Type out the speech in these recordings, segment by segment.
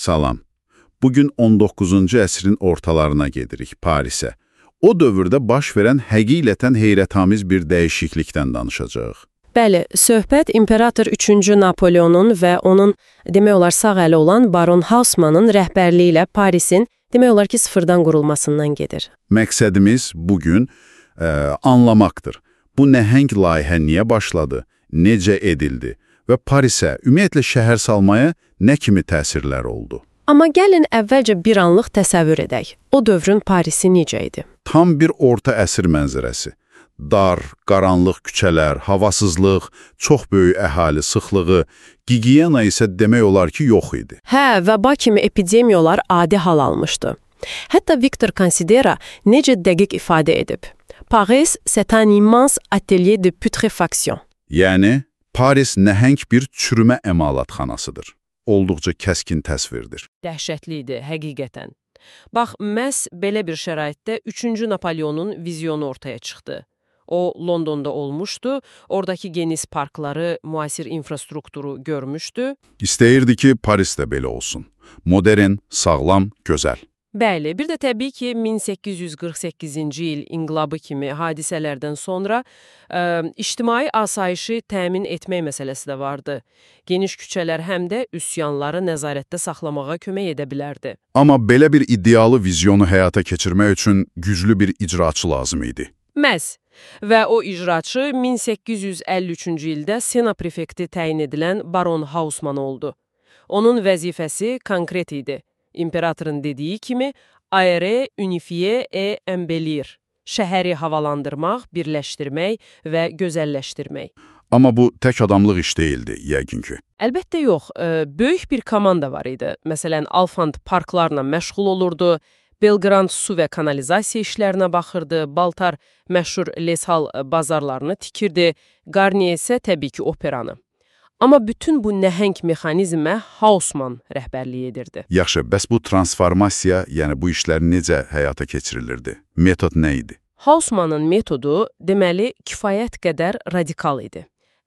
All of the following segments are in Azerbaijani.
Salam. Bugün 19-cu əsrin ortalarına gedirik, Parisə. O dövrdə baş verən həqiqətən heyrətamiz bir dəyişiklikdən danışacağıq. Bəli, söhbət İmperator 3-cü Napoleonun və onun demək olar sağ əli olan Baron Haussmannın rəhbərliyi ilə Parisin demək olar ki sıfırdan qurulmasından gedir. Məqsədimiz bugün anlamaqdır. Bu nəhəng layihə niyə başladı, necə edildi və Parisə, ümumiyyətlə şəhər salmaya nə kimi təsirlər oldu? Amma gəlin əvvəlcə bir anlıq təsəvvür edək. O dövrün Parisi necə idi? Tam bir orta əsr mənzərəsi. Dar, qaranlıq küçələr, havasızlıq, çox böyük əhali sıxlığı, gigiyena isə demək olar ki, yox idi. Hə, vəba kimi epidemiyalar adi hal almışdı. Hətta Victor Considera necə dəqiq ifadə edib. Paris, c'est un immense atelier de putréfaction. Yəni, Paris nəhəng bir çürümə əmalatxanasıdır. Olduqca kəskin təsvirdir. Dəhşətli idi, həqiqətən. Bax, məhz belə bir şəraitdə 3-cü Napoleonun vizyonu ortaya çıxdı. O, Londonda olmuşdu, oradakı geniş parkları, müasir infrastrukturu görmüşdü. İstəyirdi ki, Paris də belə olsun. Modern, sağlam, gözəl. Bəli, bir də təbii ki, 1848-ci il inqilabı kimi hadisələrdən sonra ictimai asayişi təmin etmək məsələsi də vardı. Geniş küçələr həm də üsyanları nəzarətdə saxlamağa kömək edə bilərdi. Amma belə bir iddialı vizyonu həyata keçirmək üçün güclü bir icraçı lazım idi. Məhz. Və o icraçı 1853-cü ildə Sena prefekti təyin edilən Baron Haussmann oldu. Onun vəzifəsi konkret idi. İmperatorun dediyi kimi, aérer, unifier et embellir. Şəhəri havalandırmaq, birləşdirmək və gözəlləşdirmək. Amma bu tək adamlıq iş deyildi, yəqin ki. Əlbəttə yox, böyük bir komanda var idi. Məsələn, Alfand parklarla məşğul olurdu, Belgrand su və kanalizasiya işlərinə baxırdı, Baltar məşhur Leshal bazarlarını tikirdi, Garnier isə təbii ki operanı. Amma bütün bu nəhəng mexanizmə Haussmann rəhbərlik edirdi. Yaxşı, bəs bu transformasiya, yəni bu işlər necə həyata keçirilirdi? Metod nə idi? Haussmannın metodu, deməli, kifayət qədər radikal idi.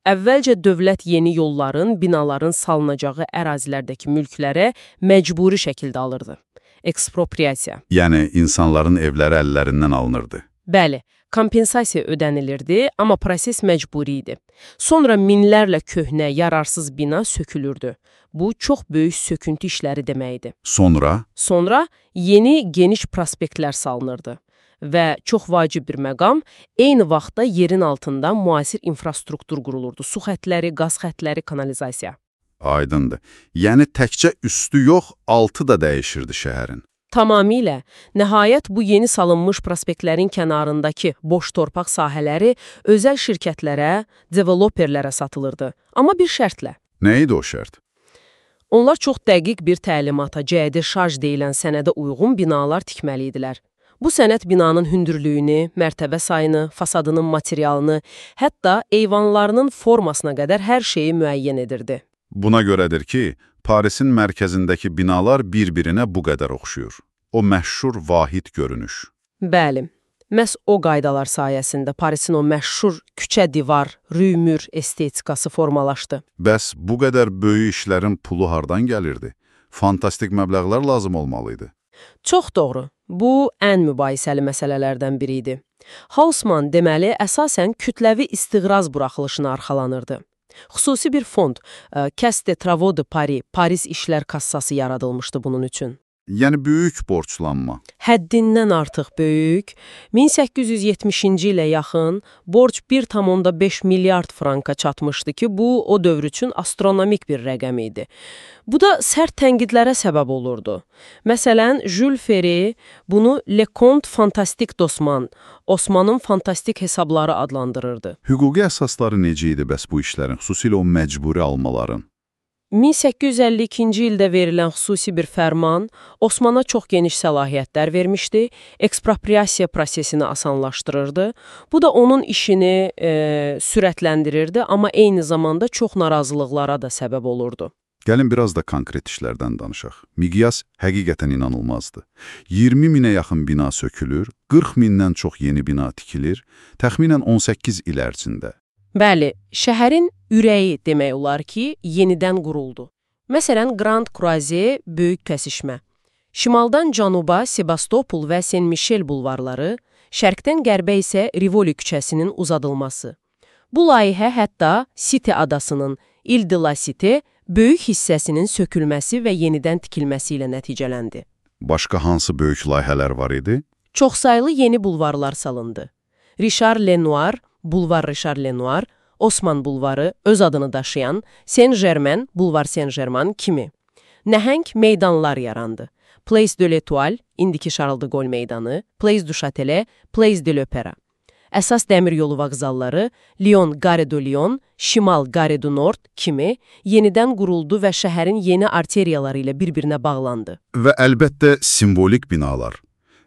Əvvəlcə dövlət yeni yolların, binaların salınacağı ərazilərdəki mülklərə məcburi şəkildə alırdı. Ekspropriasiya. Yəni, insanların evləri əllərindən alınırdı. Bəli, kompensasiya ödənilirdi, amma proses məcburi idi. Sonra minlərlə köhnə, yararsız bina sökülürdü. Bu, çox böyük söküntü işləri deməkdir. Sonra? Sonra yeni, geniş prospektlər salınırdı. Və çox vacib bir məqam, eyni vaxtda yerin altında müasir infrastruktur qurulurdu. Su xətləri, qaz xətləri, kanalizasiya. Aydındır. Yəni, təkcə üstü yox, altı da dəyişirdi şəhərin. Tamamilə. Nəhayət, bu yeni salınmış prospektlərin kənarındakı boş torpaq sahələri özəl şirkətlərə, developerlərə satılırdı. Amma bir şərtlə. Nə idi o şərt? Onlar çox dəqiq bir təlimata, cəhdi şarj deyilən sənədə uyğun binalar tikməli idilər. Bu sənəd binanın hündürlüyünü, mərtəbə sayını, fasadının materialını, hətta eyvanlarının formasına qədər hər şeyi müəyyən edirdi. Buna görədir ki, Parisin mərkəzindəki binalar bir-birinə bu qədər oxşuyur. O məşhur vahid görünüş. Bəli, məhz o qaydalar sayəsində Parisin o məşhur küçə divar, rüymür estetikası formalaşdı. Bəs bu qədər böyük işlərin pulu hardan gəlirdi? Fantastik məbləğlər lazım olmalıydı. Çox doğru. Bu, ən mübahisəli məsələlərdən biri idi. Haussmann deməli, əsasən kütləvi istiqraz buraxılışına arxalanırdı. Xüsusi bir fond, Caisse des Travaux de Paris, Paris İşlər Kassası yaradılmışdı bunun üçün. Yəni böyük borclanma. Həddindən artıq böyük, 1870-ci ilə yaxın borc 1,5 milyard franka çatmışdı ki, bu o dövr üçün astronomik bir rəqəm idi. Bu da sərt tənqidlərə səbəb olurdu. Məsələn, Jules Ferry bunu Le Conte Fantastique d'Osman, Osmanın fantastik hesabları adlandırırdı. Hüquqi əsasları necə idi bəs bu işlərin, xüsusilə o məcburi almaların? 1852-ci ildə verilən xüsusi bir fərman Osmana çox geniş səlahiyyətlər vermişdi, ekspropriasiya prosesini asanlaşdırırdı. Bu da onun işini sürətləndirirdi, amma eyni zamanda çox narazılıqlara da səbəb olurdu. Gəlin biraz da konkret işlərdən danışaq. Miqyas həqiqətən inanılmazdı. 20 minə yaxın bina sökülür, 40 mindən çox yeni bina tikilir, təxminən 18 il ərzində. Bəli, şəhərin ürəyi demək olar ki, yenidən quruldu. Məsələn, Grand Croisé böyük kəsişmə. Şimaldan cənuba Sebastopol və Saint-Michel bulvarları, şərqdən qərbə isə Rivoli küçəsinin uzadılması. Bu layihə hətta Site adasının, Ile de la Cité, böyük hissəsinin sökülməsi və yenidən tikilməsi ilə nəticələndi. Başqa hansı böyük layihələr var idi? Çoxsaylı yeni bulvarlar salındı. Richard Lenoir, Bulvar Richard Lenoir, Osman bulvarı, öz adını daşıyan Saint-Germain, Bulvar Saint-Germain kimi. Nəhəng meydanlar yarandı. Place de l'Étoile, indiki Charles de Gaulle meydanı, Place du Châtelet, Place de l'Opéra. Əsas dəmir yolu vağzalları Lyon Gare de Lyon, Şimal Gare du Nord kimi yenidən quruldu və şəhərin yeni arteriyaları ilə bir-birinə bağlandı. Və əlbəttə simvolik binalar.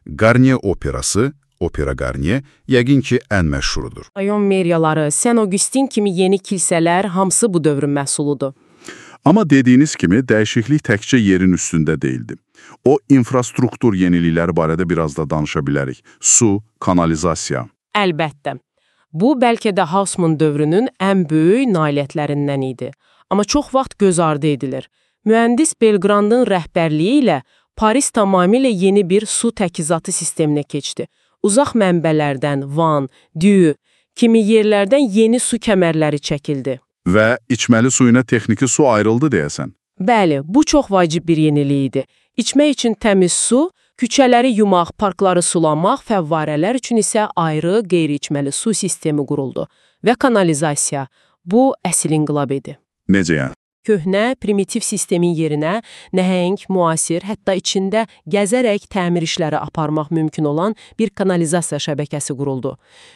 Garnier operası, Opera Garnier, yəqin ki, ən məşhurudur. Ayon meriyaları, Saint Augustin kimi yeni kilsələr hamısı bu dövrün məhsuludur. Amma dediyiniz kimi dəyişiklik təkcə yerin üstündə deyildi. O infrastruktur yenilikləri barədə biraz da danışa bilərik. Su, kanalizasiya. Əlbəttə. Bu, bəlkə də Haussmann dövrünün ən böyük nailiyyətlərindən idi. Amma çox vaxt göz ardı edilir. Mühəndis Belgrandın rəhbərliyi ilə Paris tamamilə yeni bir su təchizatı sisteminə keçdi. Uzaq mənbələrdən Van, Diu kimi yerlərdən yeni su kəmərləri çəkildi. Və içməli suyuna texniki su ayrıldı deyəsən. Bəli, bu çox vacib bir yenilik idi. İçmək üçün təmiz su, küçələri yumaq, parkları sulamaq, fəvvarələr üçün isə ayrı qeyri-içməli su sistemi quruldu. Və kanalizasiya, bu əsl inqilab idi. Necə yəni? Köhnə, primitiv sistemin yerinə nəhəng, müasir, hətta içində gəzərək təmir işləri aparmaq mümkün olan bir kanalizasiya şəbəkəsi quruldu.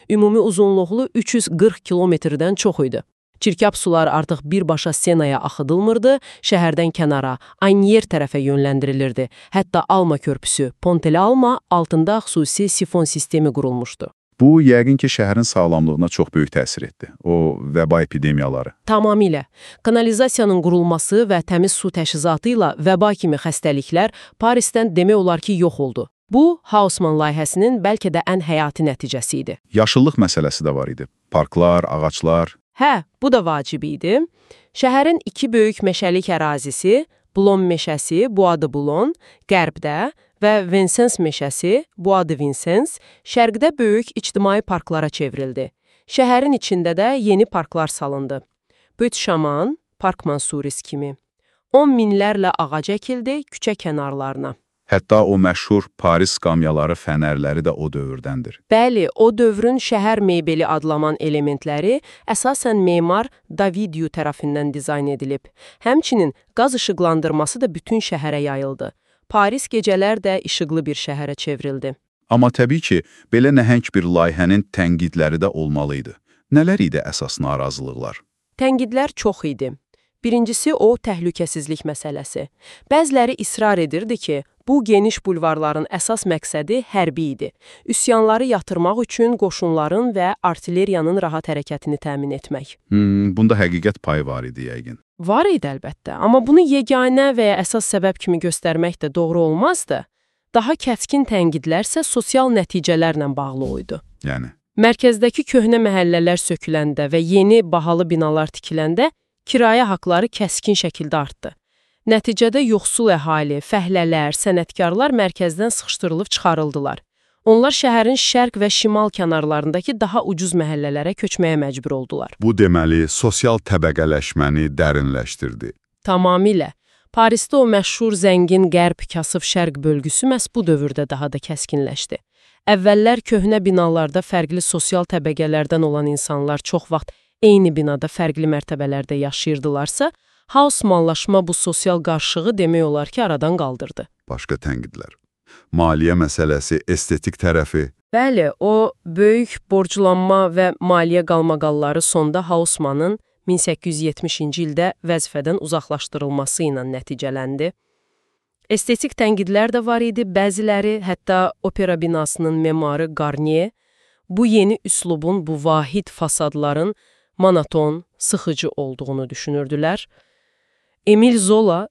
Ümumi uzunluqlu 340 kilometrdən çox idi. Çirkab sular artıq birbaşa Senaya axıdılmırdı, şəhərdən kənara, Agnier tərəfə yönləndirilirdi. Hətta Alma körpüsü, Ponteli Alma altında xüsusi sifon sistemi qurulmuşdu. Bu, yəqin ki, şəhərin sağlamlığına çox böyük təsir etdi. O, vəba epidemiyaları. Tamamilə. Kanalizasiyanın qurulması və təmiz su təchizatı ilə vəba kimi xəstəliklər Parisdən demək olar ki, yox oldu. Bu, Haussmann layihəsinin bəlkə də ən həyati nəticəsi idi. Yaşıllıq məsələsi də var idi. Parklar, ağaclar. Hə, bu da vacib idi. Şəhərin iki böyük meşəlik ərazisi, Blon meşəsi, Bois de Boulogne, qərbdə və Vincennes meşəsi, Bois de Vincennes, şərqdə böyük ictimai parklara çevrildi. Şəhərin içində də yeni parklar salındı. Büt Şaman, Park Mansuris kimi. 10 minlərlə ağac əkildi küçə kənarlarına. Hətta o məşhur Paris qamyaları, fənərləri də o dövrdəndir. Bəli, o dövrün şəhər mebeli adlanan elementləri əsasən memar Davidiu tərəfindən dizayn edilib. Həmçinin qaz işıqlandırması da bütün şəhərə yayıldı. Paris gecələr də işıqlı bir şəhərə çevrildi. Amma təbii ki, belə nəhəng bir layihənin tənqidləri də olmalıydı. Nələr idi əsas narazılıqlar? Tənqidlər çox idi. Birincisi o təhlükəsizlik məsələsi. Bəziləri israr edirdi ki, bu geniş bulvarların əsas məqsədi hərbi idi. Üsyanları yatırmaq üçün qoşunların və artilleriyanın rahat hərəkətini təmin etmək. Bunda həqiqət payı var idi yəqin. Var idi əlbəttə, amma bunu yeganə və ya əsas səbəb kimi göstərmək də doğru olmazdı. Daha kəskin tənqidlərsə sosial nəticələrlə bağlı idi. Yəni? Mərkəzdəki köhnə məhəllələr söküləndə və yeni bahalı binalar tikiləndə kirayə haqları kəskin şəkildə artdı. Nəticədə yoxsul əhali, fəhlələr, sənətkarlar mərkəzdən sıxışdırılıb çıxarıldılar. Onlar şəhərin şərq və şimal kənarlarındakı daha ucuz məhəllələrə köçməyə məcbur oldular. Bu deməli, sosial təbəqələşməni dərinləşdirdi. Tamamilə. Parisdə o məşhur zəngin qərb, kasıb şərq bölgüsü məhz bu dövrdə daha da kəskinləşdi. Əvvəllər köhnə binalarda fərqli sosial təbəqələrdən olan insanlar çox vaxt eyni binada fərqli mərtəbələrdə yaşayırdılarsa, Haussmannlaşma bu sosial qarşılığı demək olar ki, aradan qaldırdı. Başqa tənqidlər. Maliyyə məsələsi, estetik tərəfi. Bəli, o böyük borclanma və maliyyə qalmaqalları sonda Haussmannın 1870-ci ildə vəzifədən uzaqlaşdırılması ilə nəticələndi. Estetik tənqidlər də var idi, bəziləri, hətta opera binasının memarı Garnier, bu yeni üslubun, bu vahid fasadların monoton, sıxıcı olduğunu düşünürdülər. Emil Zola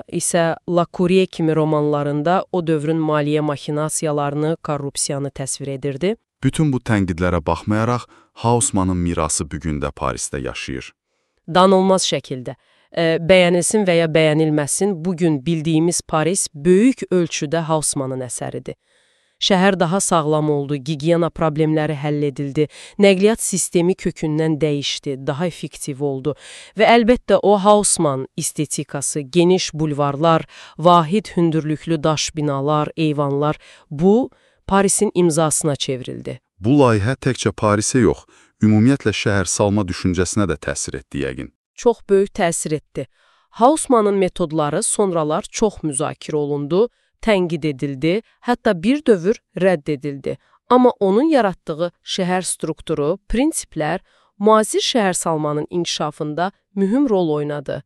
isə La Courrier kimi romanlarında o dövrün maliyyə maxinasiyalarını, korrupsiyanı təsvir edirdi. Bütün bu tənqidlərə baxmayaraq, Haussmannın mirası bugün də Parisdə yaşayır. Danılmaz şəkildə. Bəyənilsin və ya bəyənilməsin, bugün bildiyimiz Paris böyük ölçüdə Haussmannın əsəridir. Şəhər daha sağlam oldu, gigiyena problemləri həll edildi, nəqliyyat sistemi kökündən dəyişdi, daha effektiv oldu və əlbəttə o Haussmann estetikası, geniş bulvarlar, vahid hündürlüklü daş binalar, eyvanlar, bu Parisin imzasına çevrildi. Bu layihə təkcə Parisə yox, ümumiyyətlə şəhərsalma düşüncəsinə də təsir etdi yəqin. Çox böyük təsir etdi. Haussmannın metodları sonralar çox müzakirə olundu, tənqid edildi, hətta bir dövr rədd edildi. Amma onun yaratdığı şəhər strukturu, prinsiplər müasir şəhərsalmanın inkişafında mühüm rol oynadı.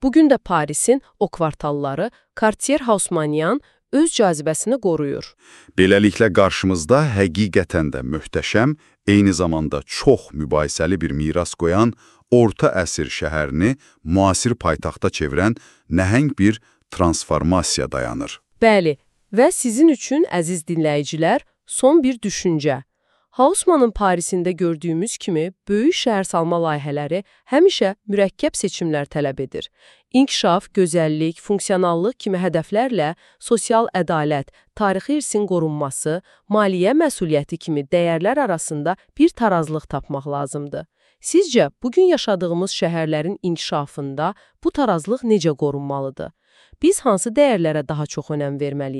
Bugün də Parisin o kvartalları Cartier-Haussmannian öz cazibəsini qoruyur. Beləliklə qarşımızda həqiqətən də möhtəşəm, eyni zamanda çox mübahisəli bir miras qoyan, orta əsr şəhərini müasir paytaxta çevirən nəhəng bir transformasiya dayanır. Bəli, və sizin üçün, əziz dinləyicilər, son bir düşüncə. Haussmannın Parisində gördüyümüz kimi, böyük şəhərsalma layihələri həmişə mürəkkəb seçimlər tələb edir. İnkişaf, gözəllik, funksionallıq kimi hədəflərlə sosial ədalət, tarixi irsin qorunması, maliyyə məsuliyyəti kimi dəyərlər arasında bir tarazlıq tapmaq lazımdır. Sizcə, bugün yaşadığımız şəhərlərin inkişafında bu tarazlıq necə qorunmalıdır? Biz hansı dəyərlərə daha çox önəm verməliyik?